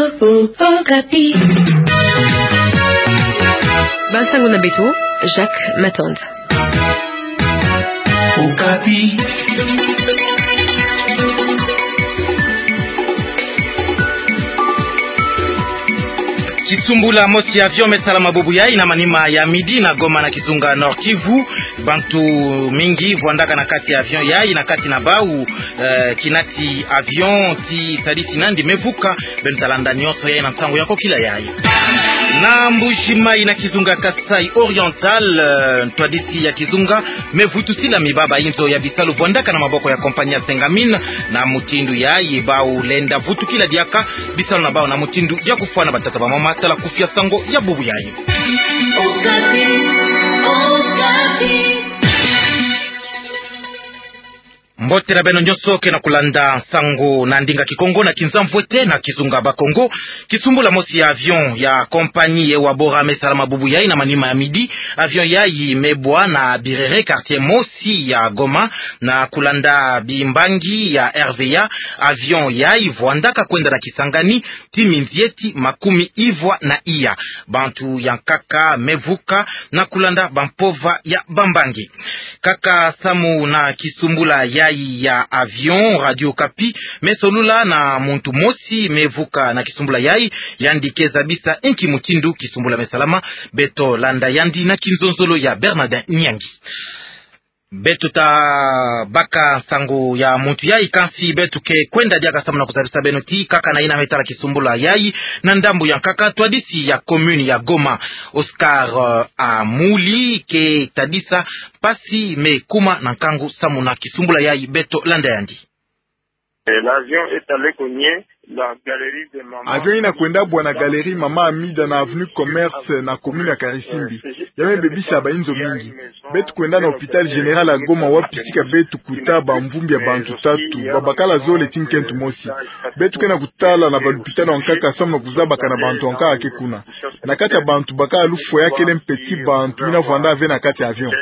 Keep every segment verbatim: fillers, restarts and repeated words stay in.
Okapi. Bansango na beto, Jacques Matand. Okapi. Kisumbula mosi ya avion me salama bubu yayi na manima ya midi na Goma na kizunga Nord-Kivu. Bantu mingi vwandaka na kati ya avion yayi, na kati na bau, eh, kinati avion ti sadisi nandi me vuka. Beno ta landa nyonso yayi na nsangu ya kokila yayi. Na Mbuji-Mayi na kizunga Kasaï Oriental, eh, ntwadisi ya kizunga me vutusila mibaba inzo ya bisalu vwandaka na maboko ya compagnie ya Sengamin. Na mutindu yayi bau lenda vutukila diaka bisalu na bau na mutindu ya kufwana batata bamama. Tala kufia sango ya bubu yayi. Okapi. Okapi. Mbote na beno nyonso ke na kulanda nsangu na ndinga Kikongo na Kinzamvwete na kizunga Bakongo. Kisumbula mosi ya avion ya compagnie Ewabora me salama bubu yayi na manima ya midi. Avion yayi me bwa na Birere, quartier mosi ya Goma, na kulanda bimbangi ya R V A. Avion yayi vwandaka kwenda na Kisangani ti minzieti makumi ivwa na iya. Bantu ya nkaka me vuka na kulanda bampova ya bambangi. Kaka samu na kisumbula yayi ya avion, Radio Okapi me solula na muntu mosi me vuka na kisumbula yayi. Yandi ke zabisa inki mutindu kisumbula me salama. Beto landa yandi na kinzonzolo ya Bernardin Nyangi. Beto ta baka nsangu ya muntu yayi, kansi beto ke kwenda diaka samu na kuzabisa beno ti kaka na yina me tala kisumbula yayi, na ndambu ya nkaka, ntwadisi ya commune ya Goma, Oscar, eh, Amuli, ke tadisa mpasi me kuma na nkangu samu na kisumbula yayi. Beto landa yandi. Et l'avion est allé cogner la galerie des mamans. Avion yina kwenda bwa na galerie Mama Amida na avenue Commerce na commune ya Karisimbi. Ya me bebisa bainzo mingi. Beto kwenda na hôpital général ya Goma, wapi sika beto kuta bamvumbi ya bantu tatu, babakala zole ti nkento mosi. Beto ke na kutala na balupitalo ya nkaka samu na kuzabaka na bantu ya nkaka ke kuna. Na kati ya bantu bakala lufwa, ya kele mpe ti bantu yina vwanda ve na kati ya avion.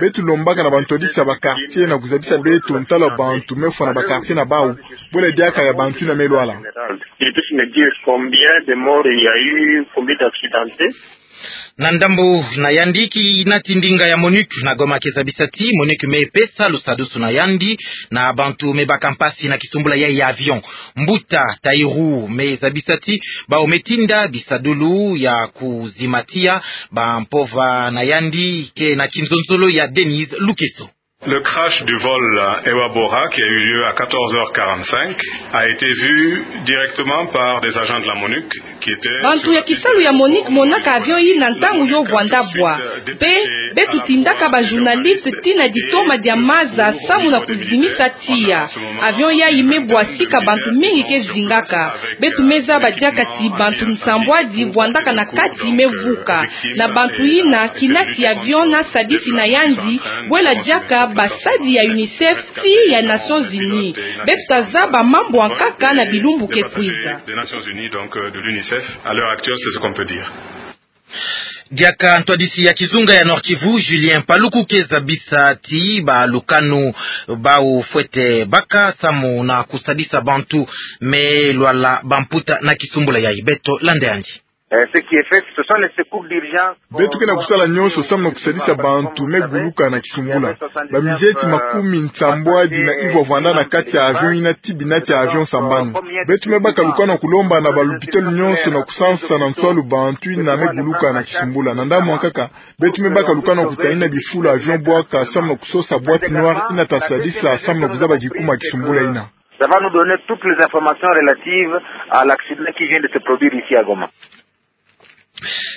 Beto lombaka na bantwadisi ya ba quartier na kuzabisa beto ntalo ya bantu me fwa na ba quartier na bau, bwela diaka ya bantu yina me lwala. Ils puissent me dire combien de morts il y a eu, combien d'accidentés. Na ndambu na yandi, kinati ndinga ya MONUC na Goma ke zabisa ti MONUC me pesa lusadusu na yandi na bantu me baka mpasi na kisumbula yayi ya avion. Mbuta Taïrou me zabisa ti bau me tinda bisadulu ya kuzimatia bampova na yandi. Ke na kinzonzolo ya Denise Lukeso. Le crash du vol Ewabora, qui a eu lieu à quatorze heures quarante-cinq, a été vu directement par des agents de la MONUC qui étaient sur la piste. Bantu ya kisalu ya MONUC monaka avion yina ntangu yo vwanda bwa. Mpe beto tindaka ba journaliste tii na ditoma dia maza samu na kuzimisa tiya. Avion yayi me bwa sika bantu mingi ke zingaka. Beto me zaba diaka ti bantu nsambwadi vwandaka na kati me vuka. Na bantu yina, kinati avion na sadisi na yandi, bwela diaka basadi ya UNICEF tii ya Nations Unies. Beto ta zaba mambu ya nkaka na bilumbu ke kwiza. Des Nations Unies, donc, euh, de l'UNICEF, à l'heure actuelle, c'est ce qu'on peut dire. Diaka ntwadisi ya kizunga ya Nord-Kivu, Julien Paluku, ke zabisa ti balukanu bau fwete baka samu na kusadisa bantu me lwala bamputa na kisumbula yayi. Beto landa yandi. Euh, ce qui est fait, ce sont les secours d'urgence. Beto ke na kusala nyonso samu na kusadisa bantu me guluka na kisumbula. Baminzieti makumi nsambwadi na ivwa vwanda na kati ya avion yina ti binati ya avion sambanu. Beto me baka lukanu ya kulomba na balupitalo nyonso na kusansa na nswalu bantu yina me guluka na kisumbula. Na ndambu ya nkaka, beto me baka lukanu ya kutanina bifulu avion bwaka samu na kusosa boîte noire yina ta sadisa samu na kuzaba kikuma ya kisumbula yina. Ça va nous donner toutes les informations relatives à l'accident qui vient de se produire ici à Goma.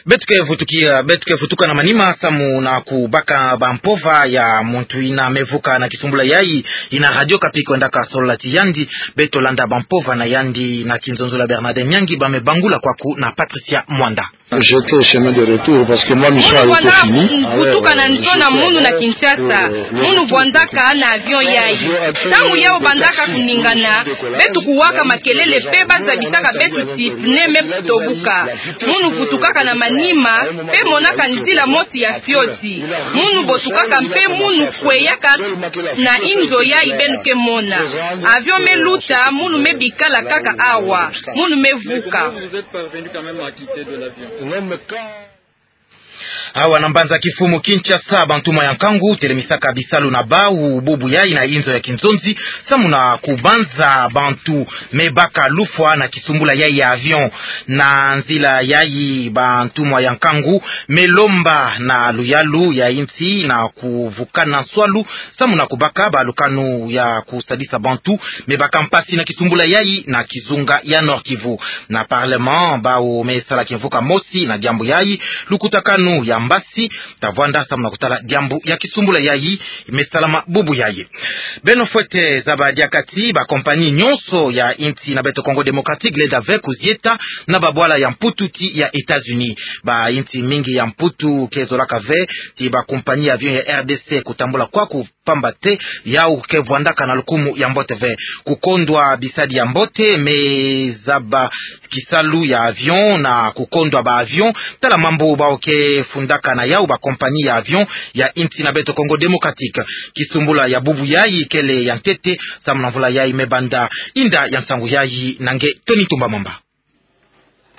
Beto ke vutukia, beto ke vutuka na manima samu na kubaka bampova ya muntu yina me vuka na kisumbula yayi, yina Radio Okapi kwendaka solola ti yandi. Beto landa bampova na yandi na kinzonzolo ya Bernardin Nyangi, ba me bangula kwaku na Patricia Mwanda. J'étais chemin de retour parce que ma mission avait été finie. Munu vwandaka mvutuka na nto na munu na Kinshasa. Munu vwandaka na avion yayi. Ntangu yawu bandaka kuningana, beto kuwaka makelele mpe bazabisaka beto ti pneu me tobuka. Munu vutukaka na manima, mpe monaka nzila mosi ya fioti. Munu botukaka mpe munu kweyaka na inzo yayi beno ke mona. Avion me luta, munu me bikala kaka awa. Munu me vuka. Awa na mbanza kifumu Kinshasa, bantumwa ya nkangu telemisaka bisalu na bawu bubu yayi na inzo ya kinzonzi, samu na kubanza bantu me baka lufwa na kisumbula yayi ya avion. Na nzila yayi, bantumwa ya nkangu me lomba na luyalu ya insi na kuvukana nswalu, samu na kubaka balukanu ya kusadisa bantu me baka mpasi na kisumbula yayi na kizunga ya Nord-Kivu. Na Parlement, bawu me sala kimvuka mosi na diambu yayi, lukutakanu ya mbasi ta vwanda samu na kutala diambu ya kisumbula yayi me salama bubu yayi. Beno fwete zaba diaka ti bakompani nyonso ya insi na beto Congo Démocratique lenda ve kuzieta na babwala ya Mputu ti ya États-Unis. Bainsi mingi ya Mputu ke zolaka ve ti bakompani ya avion ya R D C kutambula kwaku, pamba te yawu ke vwandaka na lukumu ya mbote ve. Kukondwa bisadi ya mbote me zaba kisalu ya avion na kukondwa ba avion, tala mambu bawu ke fundaka na yawu bakompani ya avion ya insi na beto Congo Démocratique. Kisumbula ya bubu yayi kele ya ntete, samu na mvula yayi me banda. Inda ya nsangu yayi na nge Tony Tumba Mamba.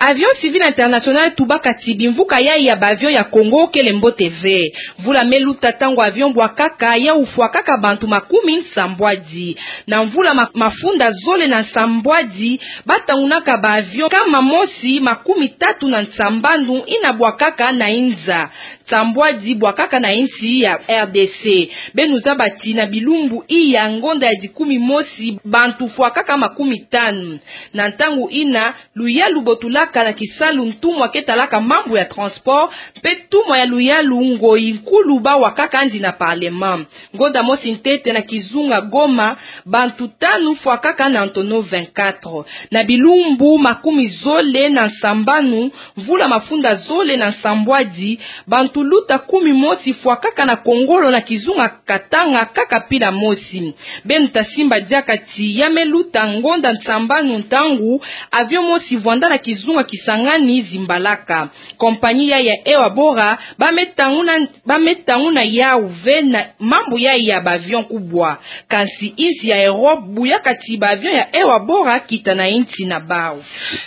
Avion Civil International tubaka ti bimvuka yayi ya ba avion ya Congo kele mbote ve. Mvula me luta, ntangu avion bwakaka, yawu fwakaka bantu makumi nsambwadi. Na mvula ma-, mafunda zole na nsambwadi, batangunaka ba avion nkama mosi makumi tatu na nsambanu yina bwakaka na inza nsambwadi bwakaka na insi ya R D C. Beno zaba ti na bilumbu iya ngonda ya dikumi mosi, bantu fwakaka makumi tanu. Na ntangu yina, luyalu botulaka na kisalu ntumwa ke talaka mambu ya transport, mpe ntumwa ya luyalu Ngoyi Nkulu bawakaka yandi na Parlement. Ngonda mosi ntete na kizunga Goma, bantu tanu fwakaka na ntono vingt-quatre. Na bilumbu makumi zole na nsambanu, mvula mafunda zole na nsambwadi, bantu luta kumi mosi fwakaka na kongolo na kizunga Katanga kaka pila mosi. Beno ta simba diaka ti ya me luta ngonda nsambanu, ntangu avion mosi vwanda na kizunga Kisangani zimbalaka. Kompani ya, ya Air Bora, ba me tanguna, ba me tanguna yawu ve na mambu yayi ya ba avion kubwa. Kansi insi ya Europe buyaka ti ba avion ya Air Bora kita na insi na bawu.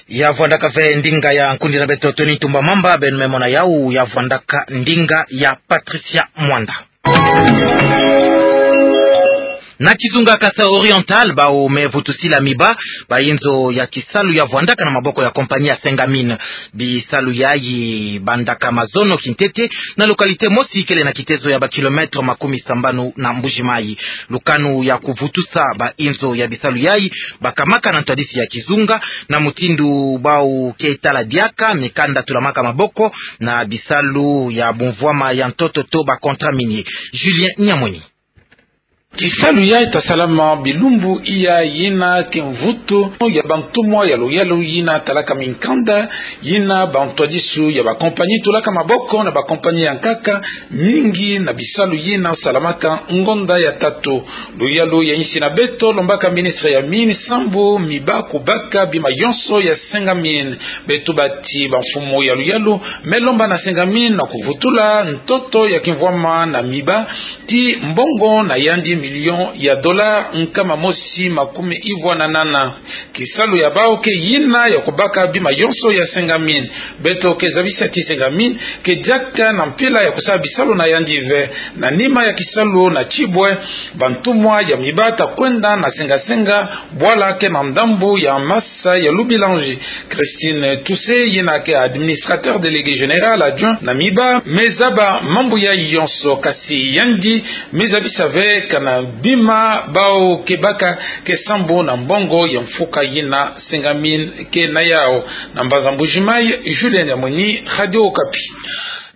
Ya vwandaka ve ndinga ya nkundi na beto Tony Tumba Mamba, beno me mona yawu ya vwandaka ndinga ya Patricia Mwanda. Na kizunga Kasai Oriental, bawu me vutusila miba, ba inzo ya kisalu ya vwandaka na maboko ya kompani ya Sengamin. Bisalu yayi bandaka mazono kintete na localité mosi kele na kitezo ya ba kilomètre makumi sambanu na Mbuji-Mayi. Lukanu ya kuvutusa ba inzo ya bisalu yayi bakamaka na ntwadisi ya kizunga, na mutindu bawu ke tala diaka mikanda tulamaka maboko na bisalu ya bumvwama ya ntoto to ba contrat minier. Julien Nyamweni. Kisalu yayi ta salama bilumbu iya yina ke mvutu ya bantumwa ya luyalu yina talaka minkanda, yina bantwadisu ya ba kompani tulaka maboko na ba kompani ya nkaka mingi na bisalu yina salamaka ngonda ya tatu. Luyalu ya insi na beto lombaka ministre ya mine sambu miba kubaka bima yonso ya Sengamin. Beto tuba ti bamfumu ya luyalu me lomba na Sengamin na kuvutula ntoto ya kimvwama na miba ti mbongo na yandi million ya dollars nkama mosi makumi ivwa na nana. Kisalu ya bawu ke yina ya kubaka bima yonso ya Sengamin. Beto ke zabisa ti Sengamin ke diaka na mpila ya kusala bisalu na yandi ve. Na nima ya kisalu na Tchiboué, bantumwa ya miba ta kwenda na senga-senga bwala ke na ndambu ya masa ya Lubilanji. Christine Toussé, yina ke administrateur délégué général adjoint na miba, me zaba mambu yayi yonso, kasi yandi me zabisa ve kana bima bawu ke baka ke sambu na mbongo ya mfuka yina Sengamin ke na yawu. Na mbanza Mbuji-Mayi, Julien Nyamweni, Radio Okapi.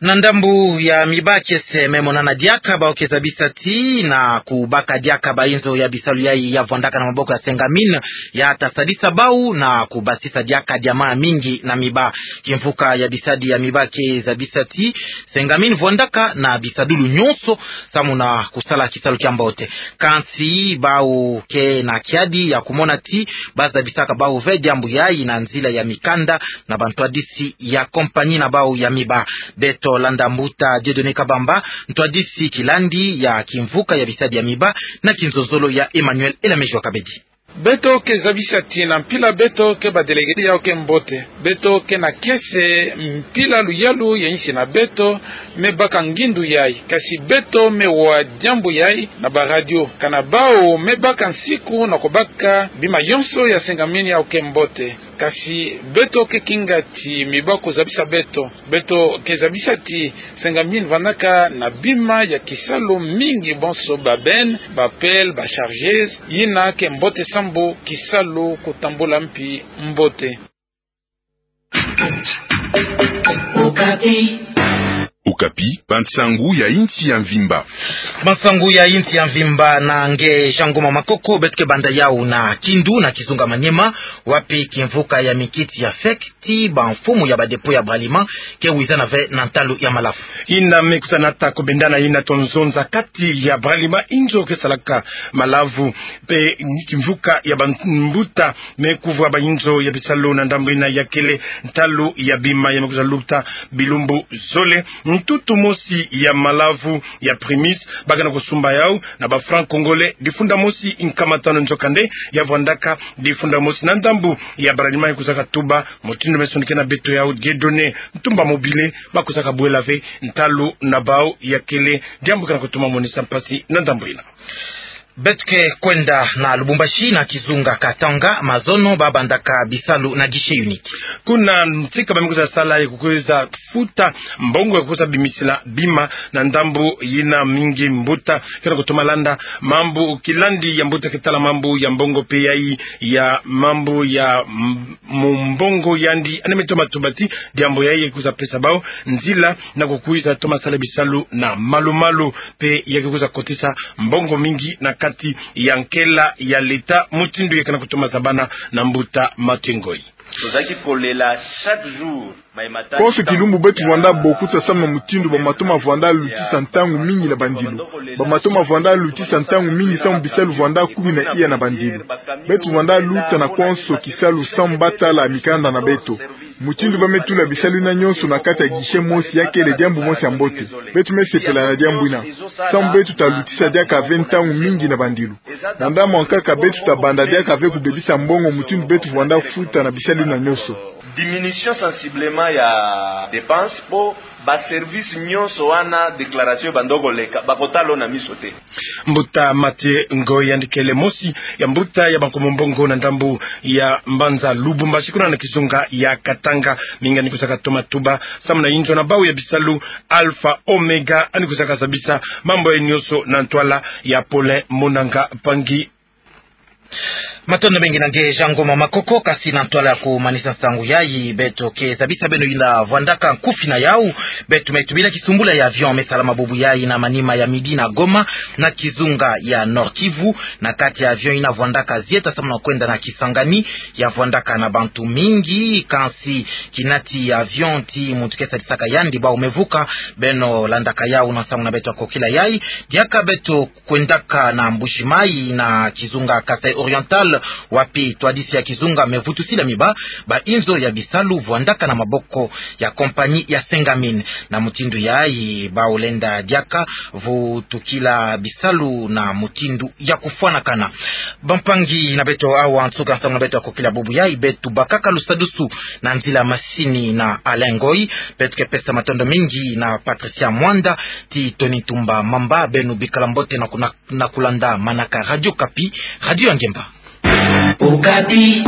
Na ndambu ya miba kiese me monana diaka bau ke zabisa ti na kubaka diaka bainzo ya bisalu yai ya vwandaka na maboko ya Sengamine ya ta sadisa bau na kubasisa diaka diama mingi na miba. Kimvuka ya bisadi ya miba ke zabisa ti Sengamine vwandaka na bisadulu nyonso samu na kusala kisalu kia mbote. Kansi bau ke na kiadi ya kumona ti ba zabisaka bau ve diambu yai na nzila ya mikanda na bantwadisi ya kompanyi na bau ya miba. Beto landa mbuta Dieudonné Kabamba, ntwadisi kilandi ya kimvuka ya bisadi ya miba, na kinzonzolo ya Emmanuel Elamejua Kabedi. Beto ke zabisa ti na mpila beto ke ba délégué yau ke mbote. Beto ke na kiese mpila luyalu ya insi na beto me baka ngindu yai. Kasi beto me wa diambu yai na ba radio. Kana bau me baka nsiku na kubaka bima yonso ya Sengamine yau ke mbote. Kasi beto ke kinga ti miba ku zabisa beto. Beto ke zabisa ti Sengamine vwandaka na bima ya kisalu mingi bonso ba benne, ba pelle, ba chargeuse, yina ke mbote sambu kisalu kutambula mpi mbote. Okapi, bansangu ya insi ya mvimba. Bansangu ya insi ya mvimba na nge Jean Ngoma Makoko, beto ke banda yau na Kindu na kizunga Maniema, wapi kimvuka ya mikiti ya fek ti bamfumu ya ba dépôt ya Bralima ke wizana ve na ntalu ya malavu. Yina me kusa nata kubendana yina to nzonza kati ya Bralima inzo ke salaka malavu, pe kimvuka ya bambuta me kuvwa bainzo ya bisalu na ndambu yina ya kele ntalu ya bima ya me kusa luta bilumbu zole. Ntutu mosi ya malavu ya prémisse ba ke na kusumba yau na ba francs congolais difunda mosi nkama tanu nzokande ya vwandaka difunda mosi na ndambu ya Bralima ya kusaka tuba. Mutindu me sonikena beto yau Dieudonné Ntumba Mobile, ba kusaka bwela ve ntalu na bau ya kele diambu ke na kutuma monisa mpasi na ndambu yina. Beto ke kwenda na Lubumbashi na kizunga Katanga, mazono ba bandaka bisalu na guichet unique. Kuna ntika ba me kusa sala ya kukwiza futa mbongo ya kusa bimisila bima na ndambu yina mingi mbuta ke na kutuma landa mambu kilandi ya mbuta ke tala mambu ya mbongo pe yai ya mambu ya m-, mu mbongo yandi ane me toma tuba ti diambu yai ya kusa pesa bau nzila na kukwiza toma sala bisalu na malu-malu pe ya ke kusa kotisa mbongo mingi na kati ya nkela ya leta mutindu ya ke na kutuma zabana na mbuta Mathieu Ngoyi. Tozalaki kolela chaque jour. Konso kilumbu beto vwanda bokuta samu na mutindu ba matoma vwanda lutisa ntangu mingi na bandilu. Ba matoma vwanda lutisa ntangu mingi samu bisalu vwanda kumi na iya na bandilu. Beto vwanda luta na konso kisalu samu ba tala mikanda na beto. Mutindu ba me tula bisalu yina nyonso na kati ya guichet mosi ya kele diambu mosi ya mbote. Beto me sepela na diambu yina. Samu beto ta lutisa diaka ve ntangu mingi na bandilu. Na ndambu ya nkaka beto ta banda diaka ve kubebisa mbongo mutindu beto vwanda futa na bisalu yina nyonso. Diminution sensiblement ya dépense po ba service nyonso wana déclaration ebanda koleka, ba kotala na miso te. Mbuta Mathieu Ngoyi yandi kele mosi ya mbuta ya bankomo mbongo na ndambu ya mbanza Lubumbashi kuna na kizunga ya Katanga. Mingi yandi kusaka toma tuba samu na inzo na bau ya bisalu Alpha Omega yandi kusaka zabisa mambu yai nyonso na ntwala ya Paulin Munanga Mpangi. Matondo mingi na nge Jean Ngoma Makoko, kasi na ntwala ya kumanisa nsangu yai, beto ke zabisa beno yina vwandaka nkufi na yau, beto me tubila kisumbula ya avion me salama bubu yai na manima ya midi na Goma, na kizunga ya Nord-Kivu, na kati ya avion yina vwandaka zieta samu na kwenda na Kisangani, ya vwandaka na bantu mingi, kansi kinati ya avion ti muntu ke sadisaka yandi bau me vuka, beno landaka yau na nsangu na beto ya kokila yai, diaka beto kwendaka na Mbuji-Mayi na kizunga Kasaï Oriental, wapi twadisi ya kizunga me vutusila miba, ba inzo ya bisalu vwandaka na maboko ya kompanyi ya Sengamine. Na mutindu yai bau lenda diaka vutukila bisalu na mutindu ya kufwanakana. Bampangi na beto, awa nsuka nsangu na beto ya kokila bubu yai, beto bakaka lusadusu na nzila masini na Alain Ngoyi, beto ke pesa matondo mingi na Patricia Mwanda, ti Tony Tumba Mamba, beno bikala mbote na kuna na kulanda manaka Radio Okapi, radio ya ngemba. Okapi.